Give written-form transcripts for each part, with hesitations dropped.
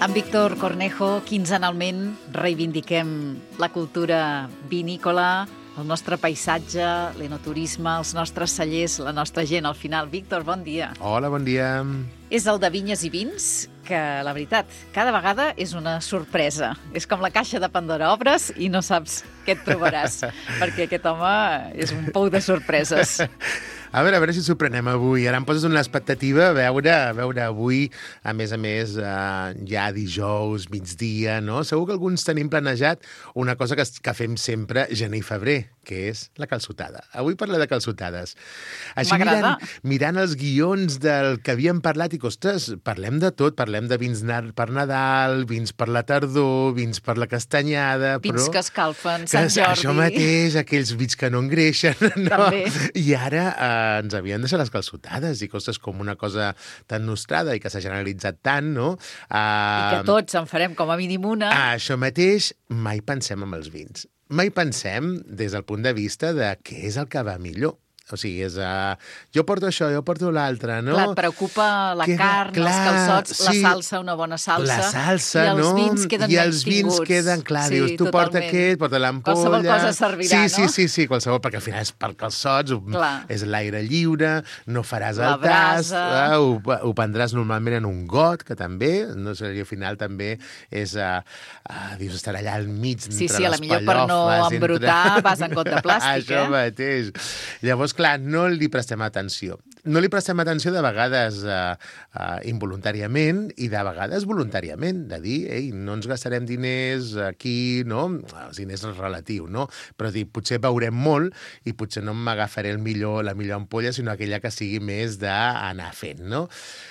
Amb Víctor Cornejo, quinzenalment reivindiquem la cultura vinícola, el nostre paisatge, l'enoturisme, els nostres cellers, la nostra gent al final. Víctor, bon dia. Hola, bon dia. És el de Vinyes i Vins, que la veritat, cada vegada és una sorpresa. És com la caixa de Pandora, obres i no saps què et trobaràs, perquè aquest home és un pou de sorpreses. A veure si ens sorprenem avui. Ara em poses una expectativa a veure avui, a més, ja dijous, migdia, no? Segur que alguns tenim planejat una cosa que fem sempre gener i febrer, que és la calçotada. Avui parlem de calçotades. Així mirant els guions del que havíem parlat i, ostres, parlem de tot. Parlem de vins per Nadal, vins per la tardor, vins per la castanyada... Vins que escalfen, Sant Jordi... Això mateix, aquells vins que no engreixen, no? També. I ara ens havien deixat les calçotades i coses com una cosa tan nostrada i que s'ha generalitzat tant, no? I que tots en farem com a mínim una. Això mateix, mai pensem en els vins. Mai pensem des del punt de vista de què és el que va millor. O sigui, és... jo porto això, jo porto l'altre, no? Clar, et preocupa la carn, els calçots, sí, la salsa, una bona salsa. La salsa, no? I els vins queden I els vins queden, clar, sí, dius, tu porta aquest, porta l'ampolla... Qualsevol cosa servirà, no? Sí, qualsevol, perquè al final és per calçots, és l'aire lliure, no faràs el tast, ho prendràs normalment en un got, que també, no sé, al final també és... dius, estarà allà al mig, entre les pallofes... Sí, a la millor per no embrutar vas en got de plàstic, Això mateix. Llavors, clar, no li prestem atenció. No li prestem atenció de vegades involuntàriament i de vegades voluntàriament, de dir, ei, no ens gastarem diners aquí, no? Els diners és relatiu, no? Però dir, potser veurem molt i potser no m'agafaré la millor ampolla, sinó aquella que sigui més d'anar fent, no?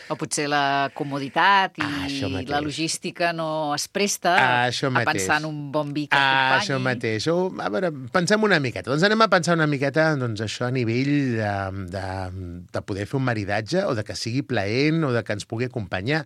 O potser la comoditat i la logística no es presta a pensar en un bon vi que acompanyi. Això mateix. A veure, pensem una miqueta. Doncs anem a pensar una miqueta, doncs, això a nivell de poder fer un maridatge o de que sigui plaent o de que ens pugui acompanyar.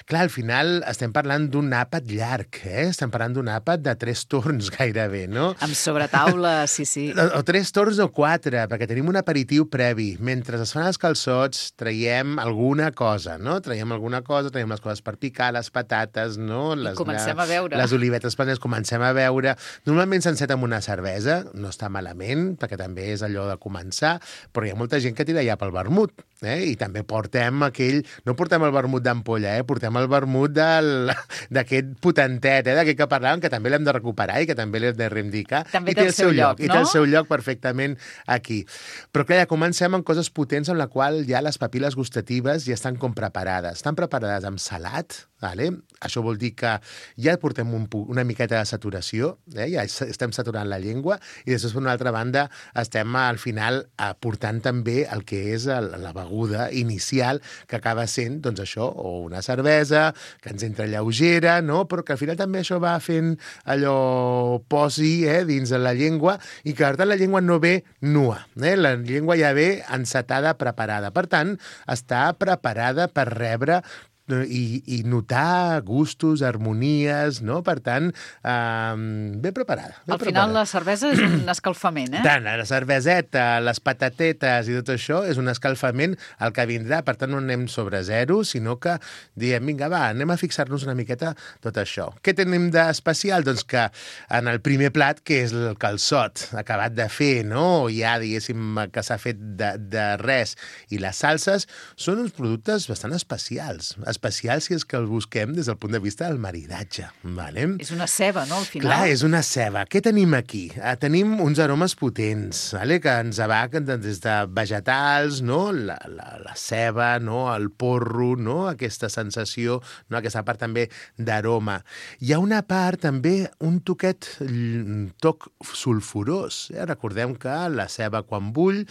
Clar, al final estem parlant d'un àpat llarg, Estem parlant d'un àpat de 3 torns gairebé, no? Amb sobretaula, sí. O 3 torns o 4, perquè tenim un aperitiu previ. Mentre es fan els calçots, traiem alguna cosa, no? Traiem les coses per picar, les patates, no? I comencem a veure. Les olivetes planes, comencem a veure. Normalment s'enceta amb una cervesa, no està malament, perquè també és allò de començar, però hi ha molta gent que tira ja pel vermut, i també portem no portem el vermut d'ampolla, portem el vermut d'aquest potentet, d'aquest que parlàvem, que també l'hem de recuperar i que també l'hem de reivindicar. També té el seu lloc, no? I té el seu lloc perfectament aquí. Però clar, ja comencem amb coses potents en la qual ja les papil·les gustatives ja estan com preparades. Estan preparades amb salat, vale? Això vol dir que ja portem una miqueta de saturació, ja estem saturant la llengua, i després, per una altra banda, estem al final aportant també el que és la beguda inicial, que acaba sent, doncs això, o una cervesa, que ens entra lleugera, no? Però que al final també això va fent allò posi dins de la llengua, i que per tant la llengua no ve nua, la llengua ja ve encetada, preparada. Per tant, està preparada per rebre i notar gustos, harmonies, no? Per tant, ben preparada. Al final la cervesa és un escalfament, Tant, la cerveseta, les patatetes i tot això és un escalfament el que vindrà. Per tant, no anem sobre zero, sinó que diem, vinga, va, anem a fixar-nos una miqueta tot això. Què tenim d'especial? Doncs que en el primer plat, que és el calçot acabat de fer, no? Ja, diguéssim, que s'ha fet de res, i les salses són uns productes bastant especials si és que el busquem des del punt de vista del maridatge. Vale? És una ceba, no, al final? Clar, és una ceba. Què tenim aquí? Tenim uns aromes potents, vale? Que ens abaquen des de vegetals, no? La ceba, no? El porro, no? Aquesta sensació, no? Aquesta part també d'aroma. Hi ha una part també, un toc sulfurós. Recordem que la ceba quan bull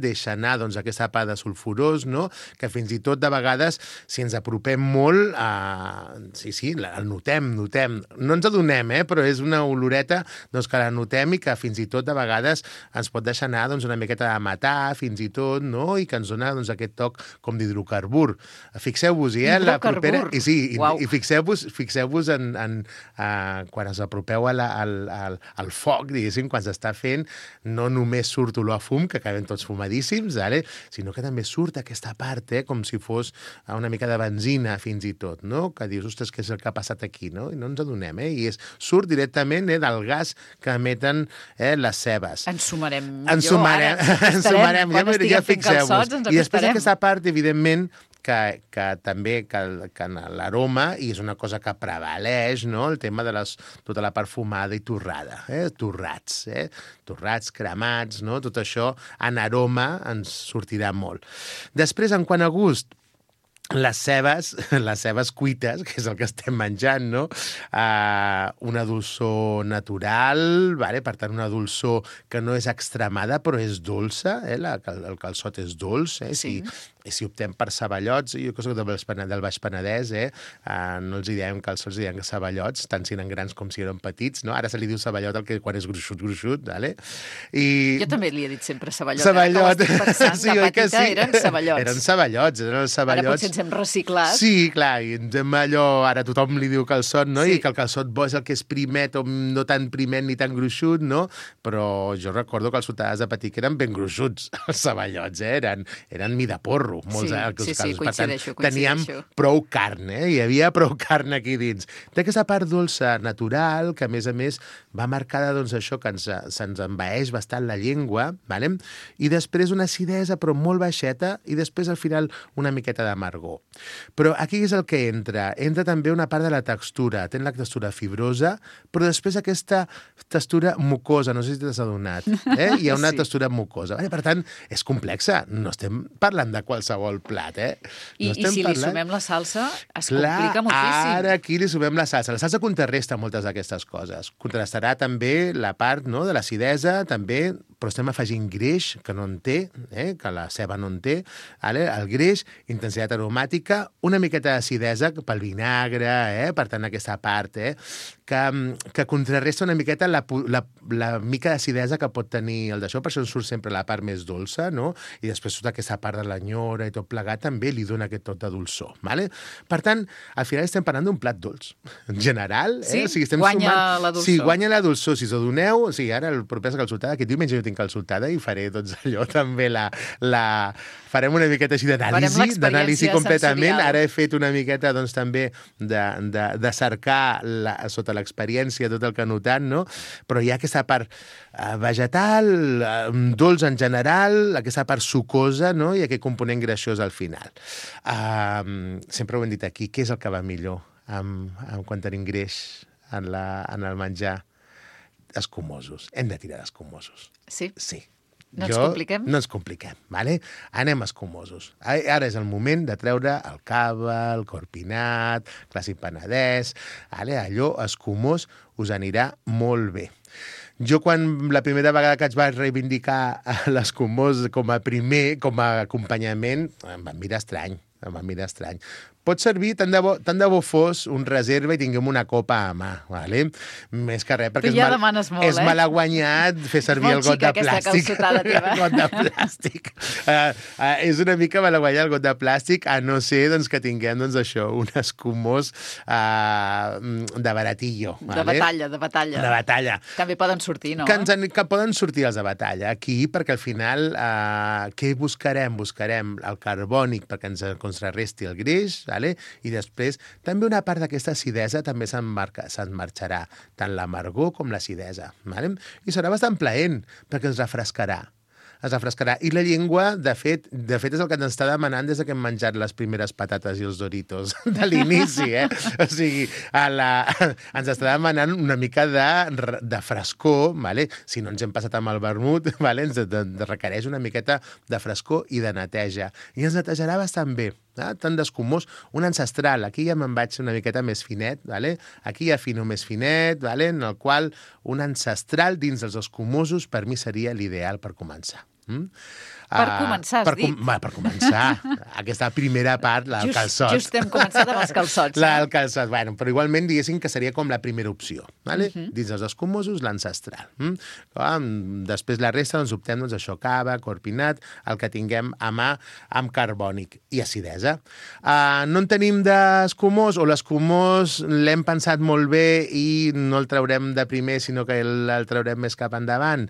deixa anar aquesta part de sulfurós, no? Que fins i tot de vegades, si ens apropem molt, el notem. No ens adonem, però és una oloreta que la notem i que fins i tot de vegades ens pot deixar anar una miqueta de matar, fins i tot, no? I que ens dona aquest toc com d'hidrocarbur. Fixeu-vos, la propera... I fixeu-vos en quan us apropeu al foc, diguéssim, quan s'està fent, no només surt olor a fum, que acabem tots fumadíssims, sinó que també surt aquesta part, com si fos una mica de benzina, cocina, fins i tot, no? Que dius, ostres, què és el que ha passat aquí, no? I no ens adonem, I surt directament del gas que emeten les cebes. Ens sumarem Ens sumarem. Quan estiguem fent calçots, ens acostarem. I després aquesta part, evidentment, que també que en l'aroma, i és una cosa que prevaleix, no? El tema de tota la perfumada i torrada, torrats, cremats, no? Tot això en aroma ens sortirà molt. Després, en quant a gust, les cebes cuites, que és el que estem menjant, no? Una dolçor natural, per tant, una dolçor que no és extremada, però és dolça, el calçot és dolç, Sí. Si optem per ceballots, jo que soc del Baix Penedès, no els diem calçots, diem ceballots, tant si eren grans com si eren petits, no? Ara se li diu ceballot quan és gruixut, vale? Jo també li he dit sempre ceballot. Ceballot. Que pensant, Sí, de oi que petita sí? eren ceballots. Eren ceballots. Ara potser ens hem reciclat. Sí, clar, i ens hem ara tothom li diu calçot, no? Sí. I que el calçot bo és el que és primet, o no tan primet ni tan gruixut, no? Però jo recordo que els sotades de petit eren ben gruixuts, els ceballots, eren mida porro, molts Sí, casos. coincideixo. Teníem prou carn, hi havia prou carn aquí dins. Té aquesta part dolça natural, que a més va marcada, doncs, això, que se'ns envaeix bastant la llengua, ¿vale? I després una acidesa, però molt baixeta, i després, al final, una miqueta d'amargor. Però aquí és el que entra. Entra també una part de la textura. Té la textura fibrosa, però després aquesta textura mucosa, no sé si t'has adonat. Hi ha una textura mucosa. Per tant, és complexa. No estem parlant de qualsevol plat, I si li sumem la salsa, es complica moltíssim. Ara aquí li sumem la salsa. La salsa contrarresta moltes d'aquestes coses. Contrastarà també la part, no, de l'acidesa, també, però estem afegint greix, que no en té, que la ceba no en té, el greix, intensitat aromàtica, una miqueta d'acidesa pel vinagre, per tant, aquesta part, que contrarresta una miqueta la mica d'acidesa que pot tenir el d'això, per això ens surt sempre la part més dolça, no? I després tota aquesta part de l'enyora i tot plegat també li dona aquest tot de dolçor, ¿vale? Per tant, al final estem parlant d'un plat dolç. En general, Sí, o sigui, estem guanya la dolçor. Sí, guanya la dolçor. Si us adoneu, ara el proper calçotada, aquest diumenge jo tinc calçotada i faré doncs allò també farem una miqueta així d'anàlisi completament. sensorial. Ara he fet una miqueta doncs també de cercar sota l'experiència tot el que he notat, no? Però hi ha aquesta part vegetal, dolç en general, aquesta part sucosa, no? I aquest component greixós al final. Sempre ho hem dit aquí, què és el que va millor quan tenim greix en el menjar? Escumosos. Hem de tirar d'escumosos. Sí? Sí. No ens compliquem? No ens compliquem, ¿vale? Anem escumosos. Ara és el moment de treure el cava, el corpinat, clàssic penedès, ¿vale? Allò escumós us anirà molt bé. Jo, quan la primera vegada que vaig reivindicar l'escumós com a acompanyament, em van mirar estrany. Pot servir, tant de bo fos un reserva i tinguem una copa a mà, ¿vale? Més que res, perquè tu ja demanes molt, és malaguanyat fer servir el got de plàstic. El got de plàstic. És una mica malaguanyat el got de plàstic, a no ser doncs, que tinguem doncs, això, un escumós de baratillo. ¿vale? De batalla. També poden sortir, no? Que poden sortir els de batalla. Aquí, perquè al final, què buscarem? Buscarem el carbònic perquè ens contrarresti el greix, ¿vale? I després també una part d'aquesta acidesa també se'n marxarà, tant l'amargor com l'acidesa, ¿vale? I serà bastant plaent perquè ens refrescarà. I la llengua, de fet, és el que ens està demanant des que hem menjat les primeres patates i els Doritos de l'inici, O sigui, ens està demanant una mica de frescor, ¿vale? Si no ens hem passat amb el vermut, ¿vale? Ens requereix una miqueta de frescor i de neteja. I ens netejarà bastant bé. Tant d'escumós, un ancestral. Aquí ja me'n vaig una miqueta més finet, ¿vale? Aquí hi ha fino més finet, ¿vale? En el qual un ancestral dins dels escumosos per mi seria l'ideal per començar. Per començar, has dit. Per començar. Aquesta primera part, el calçot. Just hem començat amb els calçots. El calçot, bueno, però igualment diguéssim que seria com la primera opció, ¿vale? Dins dels escumosos, l'ancestral. Després la resta, doncs, optem això, cava, corpinat, el que tinguem a mà amb carbònic i acidesa. No en tenim d'escumós, o l'escumós l'hem pensat molt bé i no el traurem de primer, sinó que el traurem més cap endavant,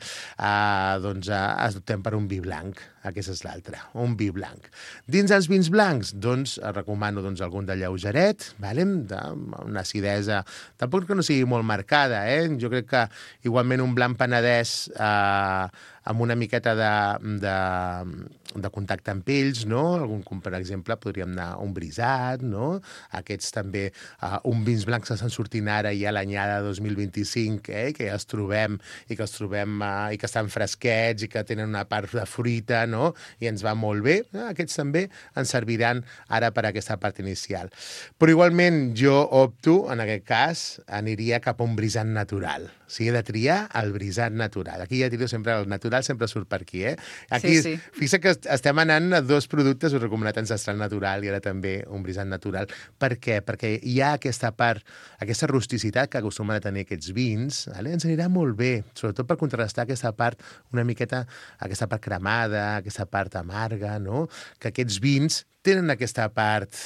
doncs optem per un vi blanc. Aquesta és l'altra, un vi blanc. Dins els vins blancs, doncs, recomano algun de lleugeret, una acidesa, tampoc que no sigui molt marcada, jo crec que igualment un blanc penedès amb una miqueta de contacte amb ells, no? Com, per exemple, podríem anar un brisat, no? Aquests també, un vins blancs que estan sortint ara ja l'anyada 2025, que ja els trobem i que estan fresquets i que tenen una part de fruita, no? I ens va molt bé. Aquests també ens serviran ara per aquesta part inicial. Però igualment jo opto, en aquest cas, aniria cap a un brisat natural. O sigui, he de triar el brisat natural. Aquí ja tiro sempre el natural, sempre surt per aquí, Aquí, sí. Fixa que estem anant a dos productes, us he recomanat ancestral natural i ara també un brisat natural. Per què? Perquè hi ha aquesta part, aquesta rusticitat que acostumen a tenir aquests vins, ens anirà molt bé, sobretot per contrarrestar aquesta part una miqueta, aquesta part cremada, aquesta part amarga, no? Que aquests vins tenen aquesta part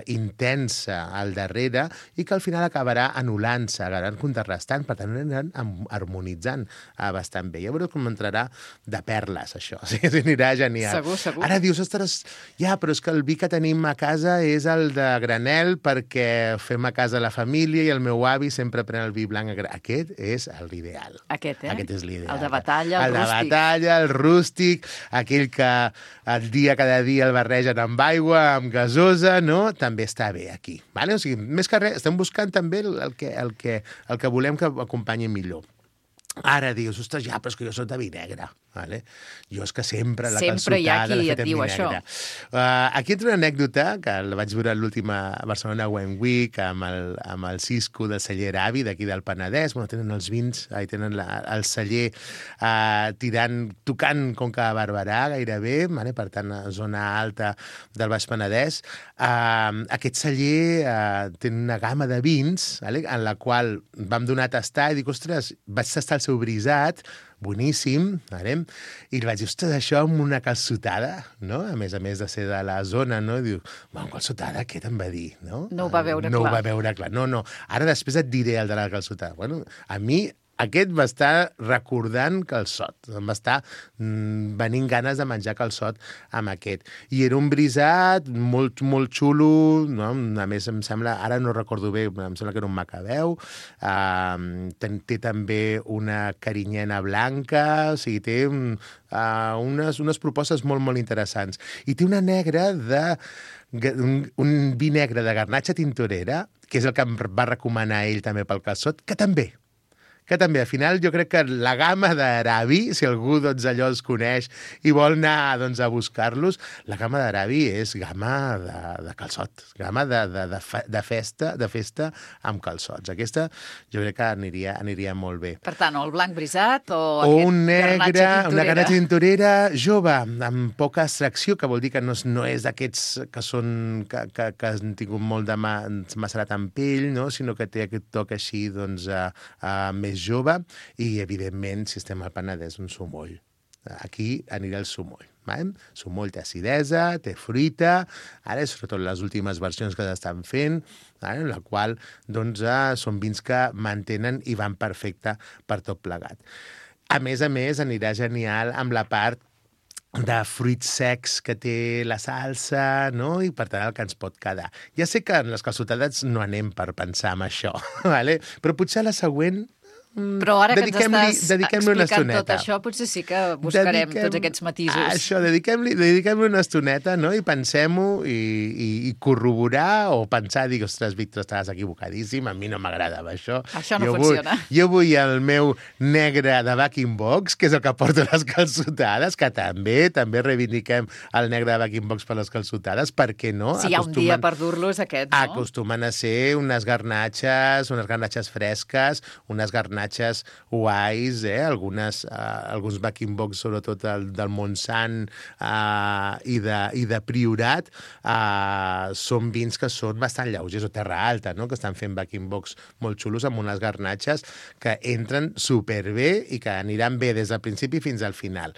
intensa al darrere i que al final acabarà anul·lant-se, acabaran contrarrestant, per tant aniran harmonitzant bastant bé. Ja veureu com entrarà de perles, això. O sigui, anirà genial. Segur. Ara dius, ostres, però és que el vi que tenim a casa és el de granel perquè fem a casa la família i el meu avi sempre pren el vi blanc a granel. Aquest és l'ideal. Aquest és l'ideal. El de batalla, el rústic. El de batalla, el rústic, aquell que cada dia el barregen amb aigua, amb gasosa, no? També està bé aquí. Vale? O sigui, més que res, estem buscant també el que volem que acompanyi millor. Ara dius, ostres, però és que jo soc de vi negre. Vale? Jo és que sempre la calçotada hi ha qui l'he et fet en diu vi això. negre. Aquí entra una anècdota, que la vaig veure a l'última Barcelona Wine Week, amb el Cisco del celler Avi, d'aquí del Penedès. Tenen els vins, tenen el celler tocant Conca de Barberà, gairebé, per tant, a zona alta del Baix Penedès. Aquest celler té una gamma de vins, en la qual vam donar a tastar i dic, ostres, vaig tastar el seu brisat, boníssim, i li vaig dir, ostres, això amb una calçotada, no? A més de ser de la zona, no? I diu, amb calçotada, què te'n va dir, no? No ho va veure clar. No ho va veure clar. No. Ara després et diré el de la calçotada. Bueno, a mi aquest va estar recordant calçot. Em va estar venint ganes de menjar calçot amb aquest. I era un brisat molt, molt xulo, no? A més, em sembla, ara no recordo bé, em sembla que era un macabeu. Té també una carinyena blanca, o sigui, té unes propostes molt, molt interessants. I té una negra un vi negre de garnatxa tintorera, que és el que em va recomanar ell també pel calçot, que també, al final jo crec que la gamma d'Arabi, si algú allò els coneix i vol anar a buscar-los, la gamma d'Arabi és gamma de calçot, gamma de festa amb calçots. Aquesta jo crec que aniria molt bé. Per tant, o el blanc brisat o un negre, una garnatxa tintorera jove, amb poca extracció, que vol dir que no és d'aquests que han tingut molt de macerat amb pell, no? Sinó que té aquest toc així més jove i, evidentment, si estem al Penedès, un sumoll. Aquí anirà el sumoll. Sumoll té acidesa, té fruita, ara sobretot les últimes versions que s'estan fent, en la qual són vins que mantenen i van perfecte per tot plegat. A més, anirà genial amb la part de fruits secs que té la salsa, no? I per tant el que ens pot quedar. Ja sé que en les calçotades no anem per pensar en això, però potser a la següent Però ara que ens estàs explicant tot això, potser sí que buscarem tots aquests matisos. Això, dediquem-li una estoneta, no? I pensem-ho i corroborar o pensar, dir, ostres, Víctor, estaves equivocadíssim, a mi no m'agradava això. Això no funciona. Jo vull el meu negre de Backing Box, que és el que porta les calçotades, que també reivindiquem el negre de Backing Box per les calçotades, per què no? Si hi ha un dia per dur-los, aquest, no? Acostumen a ser unes garnatxes fresques, unes garnatxes guais, alguns Backing Box, sobretot del Montsant i de Priorat, són vins que són bastant lleugers, o Terra Alta, no? Que estan fent Backing Box molt xulos amb unes garnatxes que entren superbé i que aniran bé des del principi fins al final.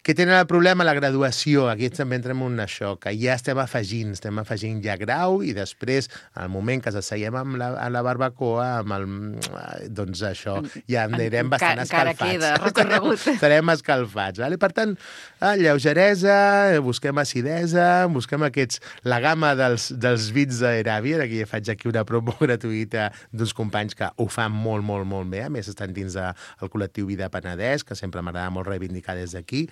Què tenen el problema? La graduació. Aquí també entrem en això, que ja estem afegint ja grau i després, al moment que s'asseiem amb la barbacoa, doncs això, ja anirem bastant encara escalfats. queda recorregut. Estarem escalfats. Vale? Per tant, lleugeresa, busquem acidesa, busquem la gamma dels vins d'Eràbia. Aquí faig aquí una promo gratuïta d'uns companys que ho fan molt, molt, molt bé. A més, estan dins del col·lectiu Vida Penedès, que sempre m'agrada molt reivindicar des d'aquí.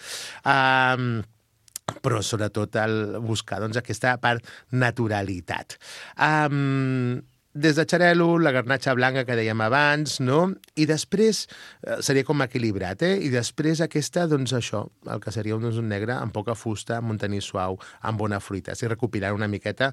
Però sobretot buscar aquesta part naturalitat. Des de xarel·lo, la garnatxa blanca que dèiem abans, no? I després seria com equilibrat, I després aquesta, doncs això, el que seria un negre amb poca fusta, amb un tanís suau, amb bona fruita. Si recopilant una miqueta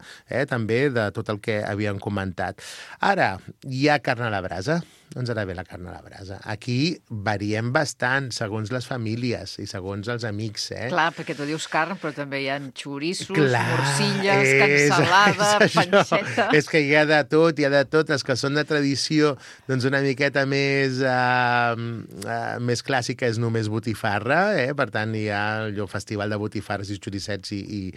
també de tot el que havíem comentat. Ara, hi ha carn a la brasa. Ens agrada bé la carn a la brasa. Aquí variem bastant, segons les famílies i segons els amics, Clar, perquè tu dius carn, però també hi ha xoriços, morcilles, cansalada, panxeta... És que hi ha de tot, Les que són de tradició, doncs una miqueta més clàssica és només botifarra, Per tant, hi ha el festival de botifarres i xoricets i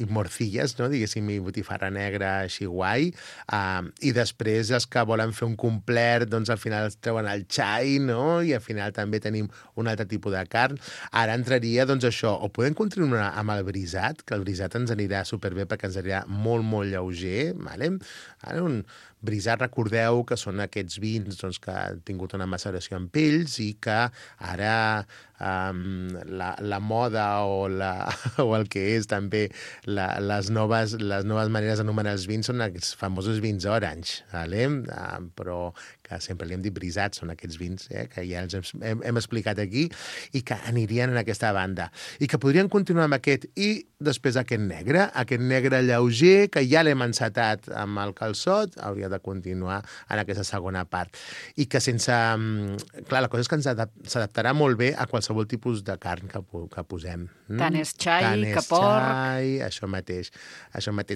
morcilles, no? Diguéssim, i botifarra negra així guai. I després els que volen fer un complet, doncs al final es treuen el xai, no? I al final també tenim un altre tipus de carn. Ara entraria, doncs això, o podem continuar amb el brisat, que el brisat ens anirà superbé perquè ens anirà molt, molt lleuger, vale? Ara un brisat, recordeu que són aquests vins doncs, que han tingut una maceració en pells i que ara la moda o el que és també les noves maneres d'anomenar els vins són aquests famosos vins orange, vale? Però que sempre li hem dit brisats, són aquests vins que ja els hem explicat aquí i que anirien en aquesta banda. I que podrien continuar amb aquest i després aquest negre lleuger, que ja l'hem encetat amb el calçot, hauria de continuar en aquesta segona part. I que sense... Clar, la cosa és que s'adaptarà molt bé a qualsevol tipus de carn que posem. Tant és xai, que porc... xai, això mateix.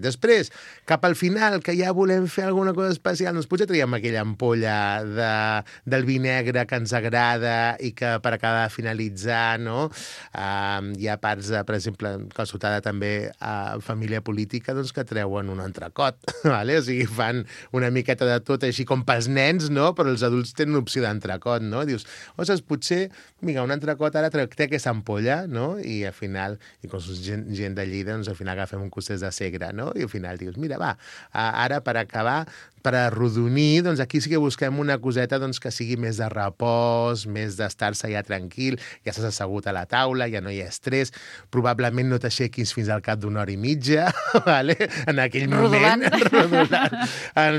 Després, cap al final, que ja volem fer alguna cosa especial, doncs potser traiem aquella ampolla del vi negre que ens agrada i que per acabar de finalitzar, no? Hi ha parts, per exemple, calçotada també a família política, doncs que treuen un entrecot, vale? O sigui, fan una miqueta de tot així com pels nens, no? Però els adults tenen opció d'entrecot, no? Dius, ostres, potser, vinga, un entrecot ara té aquesta ampolla, no? I al final, i com som gent de Lleida, doncs al final agafem un costès de segre, no? I al final dius, mira, va, ara per acabar, per arrodonir, doncs aquí sí que busquem una coseta doncs, que sigui més de repòs, més d'estar-se ja tranquil, ja s'has assegut a la taula, ja no hi ha estrès, probablement no t'aixequis fins al cap d'una hora i mitja, vale? En aquell moment, rodolant.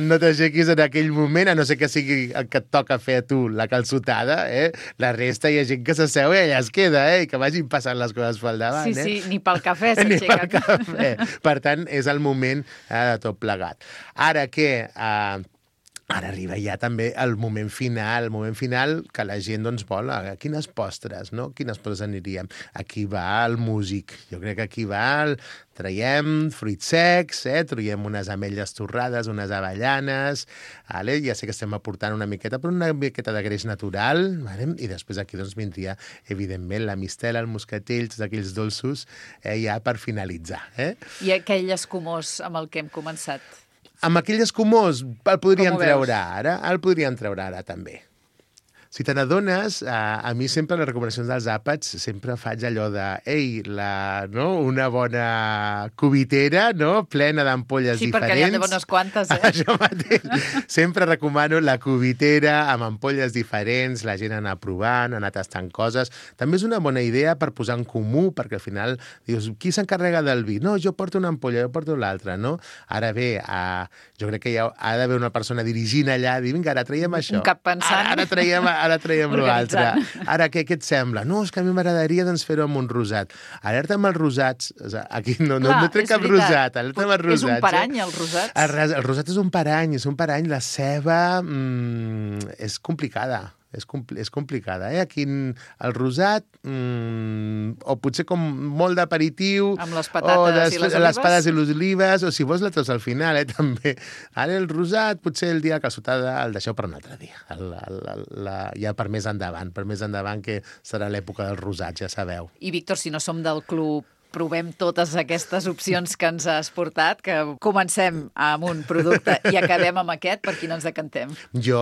No t'aixequis en aquell moment, a no ser que sigui el que et toca fer a tu, la calçotada, la resta hi ha gent que s'asseu i allà es queda, i que vagin passant les coses pel davant. Sí, ni pel cafè s'aixequen. Ni pel cafè. Per tant, és el moment de tot plegat. Ara què? Ara arriba ja també el moment final que la gent doncs vol. Quines postres, no? Quines postres aniríem? Aquí va el músic. Jo crec que aquí va traiem fruits secs, traiem unes ametlles torrades, unes avellanes, vale? Ja sé que estem aportant una miqueta, però una miqueta de greix natural, vale? I després aquí doncs vindria, evidentment, la mistela, el moscatell, tots aquells dolços, ja per finalitzar. I aquell escumós amb el que hem començat? Amb aquell escumós el podríem treure ara, també. Si te n'adones, a mi sempre les recomanacions dels àpats sempre faig allò de, una bona cubitera, no? Plena d'ampolles diferents. Sí, perquè n'hi ha de bones quantes, Això mateix. Sempre recomano la cubitera amb ampolles diferents, la gent anar provant, anar tastant coses. També és una bona idea per posar en comú, perquè al final dius, qui s'encarrega del vi? No, jo porto una ampolla, jo porto l'altra, no? Ara bé, jo crec que ha d'haver una persona dirigint allà, dir, vinga, ara traiem això. Un cap pensant. Ara traiem l'altre. Ara, què et sembla? No, és que a mi m'agradaria doncs, fer-ho amb un rosat. Alerta amb els rosats. Aquí no trec cap rosat. Alerta amb els rosats. És un parany, els rosats? El rosat és un parany. La ceba és complicada. És complicada, Aquí el rosat, o potser com molt d'aperitiu... Amb les patates i les olives? Les patates i les olives, o si vols la treus al final, també. Ara el rosat, potser el dia de calçotada el deixeu per un altre dia. Ja per més endavant, que serà l'època del rosat, ja sabeu. I, Víctor, si no som del club provem totes aquestes opcions que ens has portat, que comencem amb un producte i acabem amb aquest, per qui no ens decantem? Jo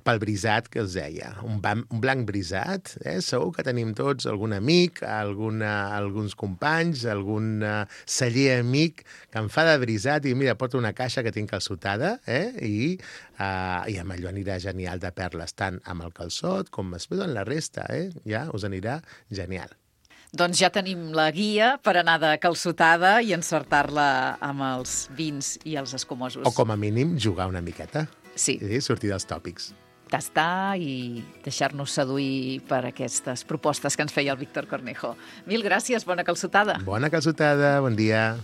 pel brisat que us deia, un blanc brisat, segur que tenim tots algun amic, alguns companys, algun celler amic que em fa de brisat i mira, porta una caixa que tinc calçotada i amb allò anirà genial de perles, tant amb el calçot com després en la resta, ja us anirà genial. Doncs ja tenim la guia per anar de calçotada i encertar-la amb els vins i els escumosos. O com a mínim jugar una miqueta. Sí. I sortir dels tòpics. Tastar i deixar-nos seduir per aquestes propostes que ens feia el Víctor Cornejo. Mil gràcies, bona calçotada. Bona calçotada, bon dia.